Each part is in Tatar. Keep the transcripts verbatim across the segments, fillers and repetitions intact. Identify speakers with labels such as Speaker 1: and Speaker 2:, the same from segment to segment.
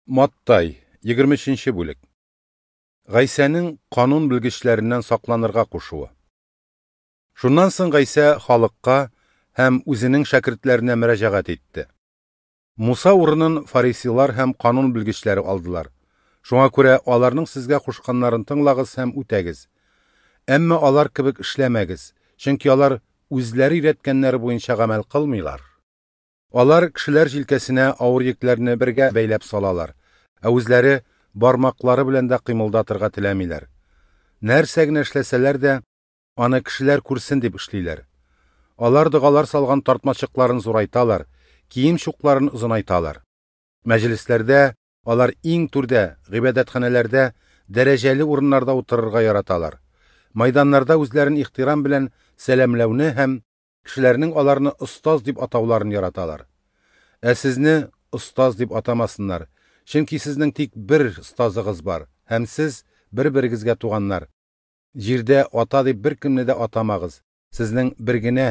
Speaker 1: Маттай, егерме өченче бүлек. Гайсәнең канун белгечләреннән сакланырга кушуы. Шуннан соң Гайсә халыкка һәм үзенең шәкертләренә мөрәҗәгать итте. Муса урынын фарисейлар һәм канун белгечләре алдылар. Шуңа күрә аларның сезгә кушканнарын тыңлагыз һәм үтәгез. Әмма алар кебек эшләмәгез, чөнки алар үзләре өйрәткәннәре буенча гамәл кылмыйлар. Алар кешеләр җилкәсенә авыр йөкләрне бергә бәйләп салалар, ә үзләре бармаклары белән дә кыймылдатырга теләмиләр. Нәрсә генә эшләсәләр дә, аны кешеләр күрсен дип эшлиләр. Алар догалар салган тартмачыкларын зурайталар, кием чукларын озынайталар. Мәҗлесләрдә алар иң түрдә, гыйбадәтханәләрдә дәрәҗәле урыннарда утырырга яраталар. Майданнарда үзләрен ихтирам белән сәламләүне һәм кешеләрнең аларны остаз дип атауларын яраталар. Ә сезне остаз дип атамасыннар, чөнки сезнең тик бер остазыгыз бар, һәм сез бер-берегезгә туганнар. Җирдә ата дип беркемне дә атамагыз, сезнең бер генә,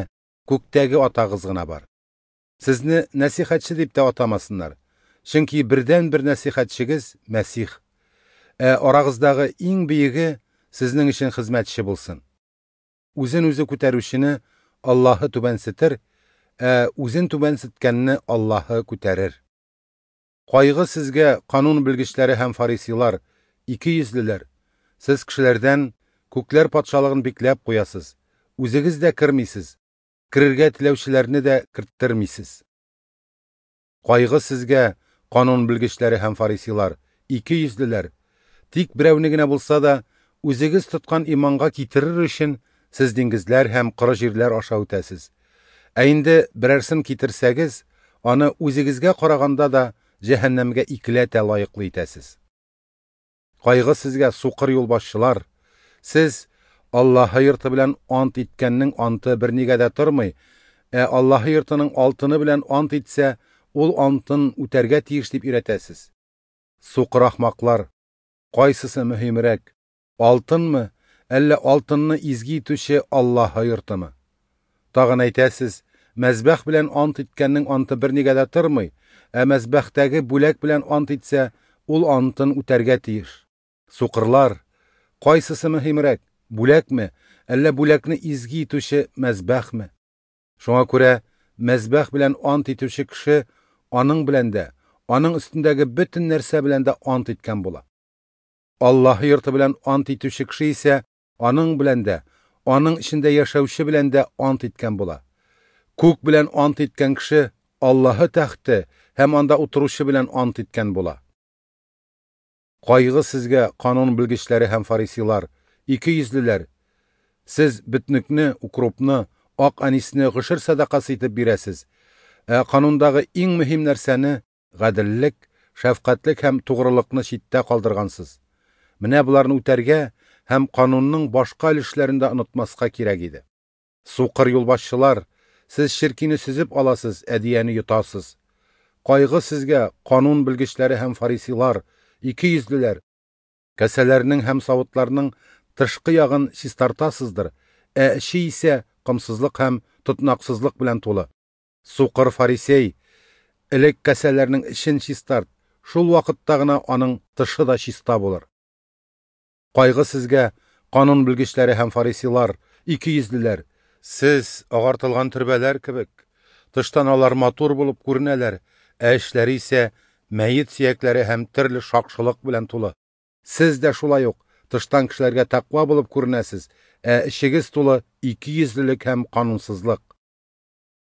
Speaker 1: күктәге атагыз гына бар. Сезне нәсихәтче дип тә атамасыннар, чөнки бердән-бер нәсихәтчегез Мәсих. Ә арагыздагы иң бөеге сезнең өчен хезмәтче булсын. Үзен үзе күтәрүчене Аллаһы түбәнсетер, ә үзен түбәнсеткәнне Аллаһы күтәрер. Кайгы сезгә, канун белгечләре һәм фарисейлар, ике йөзлеләр! Сез кешеләрдән күкләр патшалыгын бикләп куясыз, үзегез дә кермисез, керергә теләүчеләрне дә керттермисез. Кайгы сезгә, канун белгечләре һәм фарисейлар, ике йөзлеләр! Тик берәүне генә булса да, үзегез тоткан иманга китерер өчен сез диңгезләр һәм коры җирләр аша үтәсез. Ә инде берәрсен китерсәгез, аны үзегезгә караганда да җәһәннәмгә икеләтә лаеклы итәсез. Кайгы сезгә, сукыр юлбашчылар! Сез Аллаһы йорты белән ант иткәннең анты бернигә дә тормый, ә Аллаһы йортының алтыны белән ант итсә, ул антын үтәргә тиеш дип өйрәтәсез. Сукыр ахмаклар! Кайсысы мөһимрәк, алтынмы, әллә алтынны изге итүче Аллаһы йортымы? Тагын әйтәсез, мәзбәх белән ант иткәннең анты бернигә дә тормый, ә мәзбәхтәге бүләк белән ант итсә, ул антын үтәргә тиеш. Сукырлар! Кайсысы мөһимрәк, бүләкме, әллә бүләкне изге итүче мәзбәхме? Шуңа күрә мәзбәх белән ант итүче кеше аның белән дә, аның өстендәге бөтен нәрсә белән дә ант иткән була. Аллаһы йорты белән ант итүче кеше исә аның белән дә, аның эчендә яшәүче белән дә ант иткән була. Күк белән ант иткән кеше Аллаһы тәхте һәм анда утыручы белән ант иткән була. Кайгы сезгә, канун белгечләре һәм фарисейлар, ике йөзлеләр! Сез бөтнекне, укропны, ак анисне гошер сәдакасы итеп бирәсез, ә канундагы иң мөһим нәрсәне гаделлек, шәфкатьлек һәм тугрылыкны читтә калдыргансыз. Менә боларны үтәргә һәм канунның башка өлешләрен дә онытмаска кирәк иде. Сукыр юлбашчылар, сез черкине сөзеп аласыз, ә дияне йотасыз. Кайгы сезгә, канун белгечләре һәм фарисейлар, ике йөзлеләр! Кәсәләрнең һәм савытларның тышкы ягын чистартасыздыр, ә эче исә комсызлык һәм тотнаксызлык белән тулы. Сукыр фарисей, элек кәсәләрнең эчен чистарт, шул вакытта гына аның тышы да чиста булыр. Кайгы сезгә, канун белгечләре һәм фарисейлар, ике йөзлеләр! Сез агартылган төрбәләр кебек, тыштан алар матур булып күренәләр, ә эчләре исә мәет сөякләре һәм төрле шакшылык белән тулы. Сез дә шулай ук тыштан кешеләргә тәкъва булып күренәсез, ә эчегез тулы ике йөзлелек һәм канунсызлык.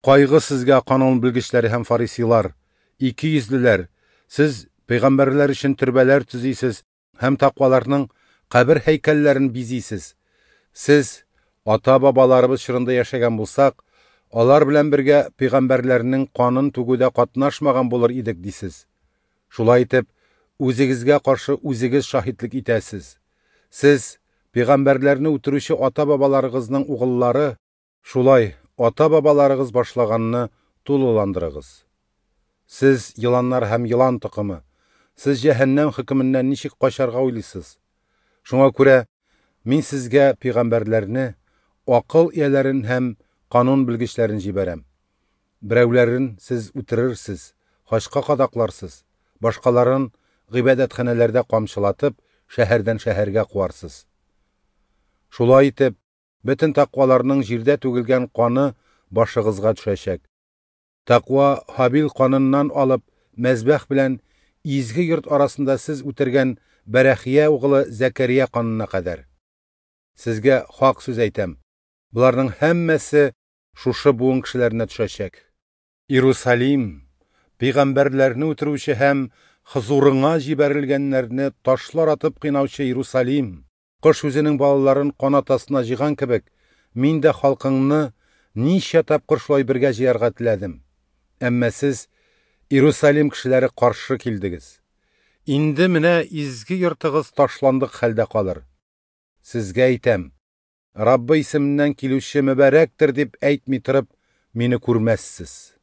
Speaker 1: Кайгы сезгә, канун белгечләре һәм фарисейлар, ике йөзлеләр! Сез пәйгамбәрләр өчен төрбәләр төзисез һәм тәкъваларның кабер һәйкәлләрен бизисез. Сез ата-бабаларыбыз чорында яшәгән булсак, алар белән бергә пәйгамбәрләрнең канын түгүдә катнашмаган булыр идек дисез. Шулай итеп, үзегезгә каршы үзегез шаһитлек итәсез. Сез пәйгамбәрләрне үтерүче ата-бабаларыгызның угыллары, шулай ата-бабаларыгыз башлаганны тулыландырыгыз. Сез еланнар һәм елан токымы, сез җәһәннәм хөкеменнән ничек качарга уйлыйсыз? Шуңа күрә мин сезгә пәйгамбәрләрне, акыл ияләрен һәм канун белгечләрен җибәрәм. Берәүләрен сез үтерерсез, хачка кадакларсыз, башкаларын гыйбадәтханәләрдә камчылатып, шәһәрдән шәһәргә куарсыз. Шулай итеп, бөтен тәкъваларның җирдә түгелгән каны башыгызга төшәчәк. Тәкъва Һабил каныннан алып, мәзбәх белән изге йорт арасында сез үтергән Бәрәхия угылы Зәкәрия канына кадәр. Сезгә хак сүз әйтәм, боларның һәммәсе шушы буын кешеләренә төшәчәк. Иерусалим, пәйгамбәрләрне үтерүче һәм хозурыңа җибәрелгәннәрне ташлар атып кыйнаучы Иерусалим, кош үзенең балаларын канат астына җыйган кебек, мин дә халкыңны ничә тапкыр шулай бергә җыярга теләдем. Әмма сез, Иерусалим кешеләре, каршы килдегез. Инде менә изге йортыгыз ташландык хәлдә калыр. Сезгә әйтәм, Раббы исеменнән килүче мөбарәктер дип әйтми торып, мине күрмәссез.